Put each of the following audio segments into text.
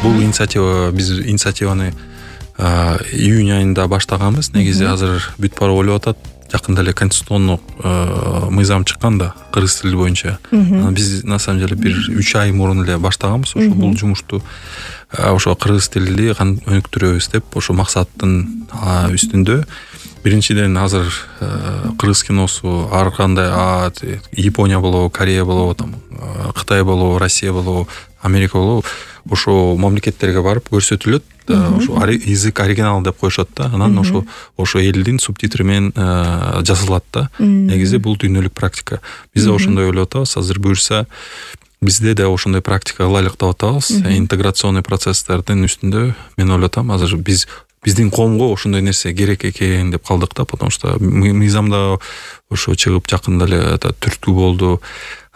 Бул биз инициативаны июнь айында баштаганбыз. Негизи азыр бүт барып ойлоп атат. Жакында эле конституциондук мыйзам чыккан да кыргыз тили боюнча. Биз на самом деле бир 3 ай мурун эле баштаганбыз. Ошо бул жумушту ошо кыргыз тилди өнүктүрөбүз деп ошо максаттын үстүндө. Биринчиден азыр кыргыз киносу ар кандай Япония болобу, Корея болобу, Кытай болобу, Россия болобу, Америка болобу ошо мамлекеттерге барып көрсөтүлөт. Ошо язык оригинал деп коюшат да. Анан ошо элдин субтитри менен жазылат да. Негизи бул дүйнөлүк практика. Биз да ошондой ойлоп атабыз. Азыр буюрса бизде да ошондой практика кылайлык деп атабыз. Интеграционный процесстердин үстүндө мен ойлоп атам, азыр биздин коомго ошондой нерсе керек экен деп калдык да, потому что мыйзамда ошо чыгып жакында эле түрткү болду.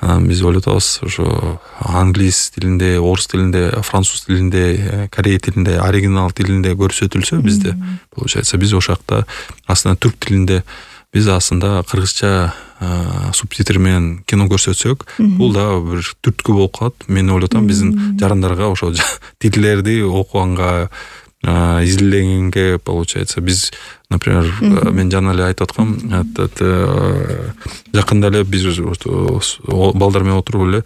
Анан биз ойлоп атабыз, ошо англис тилинде, орус тилинде, француз тилинде, корей тилинде, оригинал тилинде көрсөтүлсө бизде, получается, биз ошол жакта аслында түрк тилинде биз аслында кыргызча субтитр менен кино көрсөтсөк, бул да бир түрткү болуп калат. Мен ойлоп атам, биздин жарандарга ошо тилдерди окуганга, изилдегенге, получается, биз, например, мен жана эле айтып аткам, жакында эле биз балдар менен отуруп эле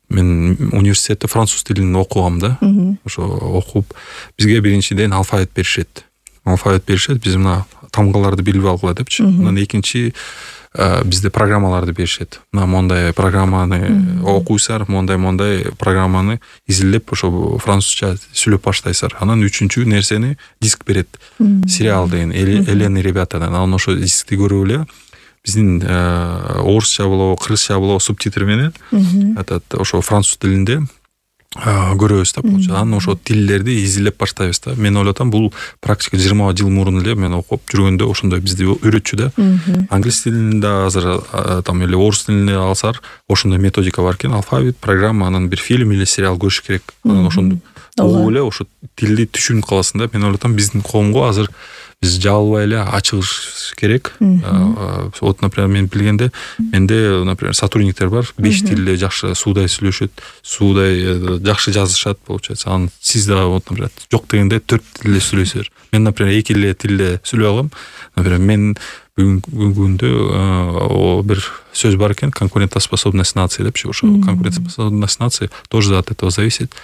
мен университетте француз тилин окугам да. Ошо окуп бизге биринчиден алфавит беришет. Биз мына тамгаларды билип алгыла депчи. Анан экинчи бизде программаларды беришет. Мына мондай программаны окуйсар, мондай программаны изилдеп ошо французча сүйлөп баштайсар. Анан үчүнчү нерсени диск берет. Сериал деген Элен и ребятадан. Анан ошо дискти көрүп эле биздин орусча болобу, кыргызча болобу субтитр менен ошо француз тилинде көрөбүз да. Анан ошо тилдерди изилдеп баштайбыз да. Мен ойлоп атам, бул практика 20 жыл мурун эле мен окуп жүргөндө ошондой бизди үйрөтчү да. Англис тилинде азыр эле орус тилинде алсар ошондой методика бар экен. Алфавит, программа, анан бир фильм или сериал көрүш керек. Анан ошондо угуп эле ошо тилди түшүнүп каласың да. Мен ойлоп атам, биздин коомго азыр биз жабылбай эле ачыгыш керек. Вот, например, мен билгенде, менде, например, сотрудниктер бар, 5 тилде жакшы суудай сүйлөшөт, суудай жакшы жазышат, получается. Анан сиз да, вот, например, жок дегенде 4 тилде сүйлөйсүздөр. Мен, например, 2 тилде сүйлөй алам. Например, мен бүгүнкү күндө бир сөз бар экен, конкурентоспособность нации депчи. Ошо конкурентоспособность нации тоже от этого зависит.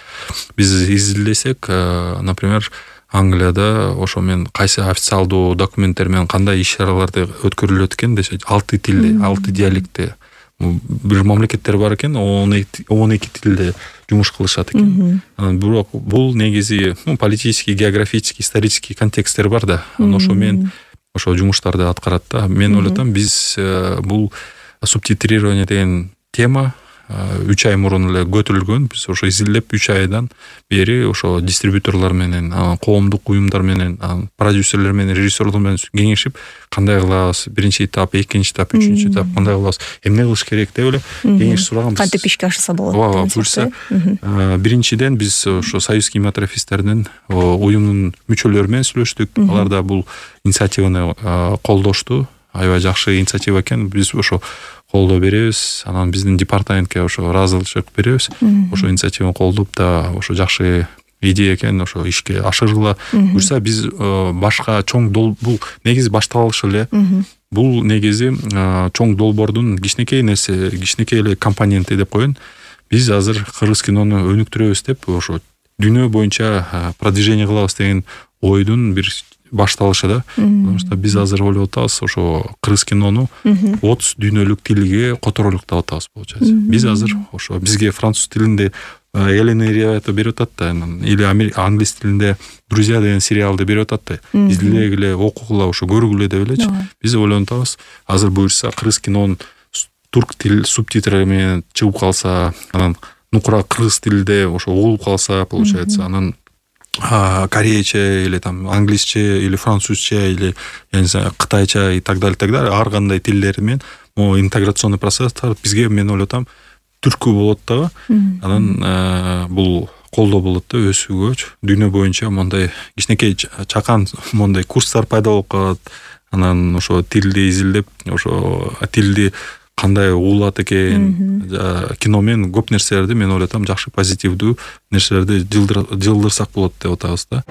Биз изилдесек, например, Англияда ошо мен кайсы официалдуу документтер менен кандай иш-чараларды өткөрүлөт экен десе 6 тилде, 6 диалектте. Бир мамлекеттер бар экен, 12 тилде жумуш кылышат экен. Анан бирок бул негизи политический, географический, исторический контексттер бар да. Ошо мен ошо жумуштарды аткарат да. Мен ойлоп атам, биз бул субтитрирование деген тема 3 ай мурун эле көтөрүлгөн. Биз ошо изилдеп 3 айдан бери ошо дистрибьюторлор менен, коомдук уюмдар менен, продюсерлер менен, режиссерлор менен кеңешип, кандай кылабыз, биринчи этап, экинчи этап, үчүнчү этап кандай кылабыз, эмне кылыш керек деп эле кеңеш сураганбыз. Кантип ишке ашса болот? Ооба, буюрса, биринчиден биз ошо Союз кинематографисттердин уюмунун мүчөлөрү менен сүйлөштүк. Алар да бул инициативаны колдошту. Аябай жакшы инициатива экен. Биз ошо колдоо беребиз. Анан биздин департаментке ошо ыраазычылык беребиз. Ошо инициативаны колдоп да ошо жакшы идея экен, ошо ишке ашыргыла. Буюрса биз башка чоң бул негизи башталышы эле. Бул негизи чоң долбоордун кичинекей нерсе, кичинекей эле компоненти деп коеюн. Биз азыр кыргыз кинону өнүктүрөбүз деп ошо дүйнө боюнча продвижение кылабыз деген ойдун бир башталышы да. Потому что биз азыр ойлоп атабыз, ошо кыргыз кинону 30 дүйнөлүк тилге которолук деп атабыз, получается. Биз азыр ошо бизге француз тилинде Элен и ребята берип атат да, или англис тилинде Друзья деген сериалды берип атат да. Изилдегиле, окугула, ошо көргүлө деп элечи. Биз ойлонуп атабыз, азыр буюрса кыргыз кинонун турк тил субтитры менен чыгып калса, анан нукура кыргыз тилде ошо угулуп калса, получается, анан корейче или там англисче или французче или я не знаю кытайча и так далее ар кандай тилдер менен интеграционный процесстер бизге, мен ойлоп атам, түрткү болот да. Анан бул колдоо болот да өсүүгө. Дүйнө боюнча мондай кичинекей чакан мондай курстар пайда болуп калат. Анан ошо тилди изилдеп, ошо тилди кандай уулат экен. Киномен көп нерселерди мен ойлотом жакшы позитивдүү нерселерди жылдырсак болот деп атабыз да.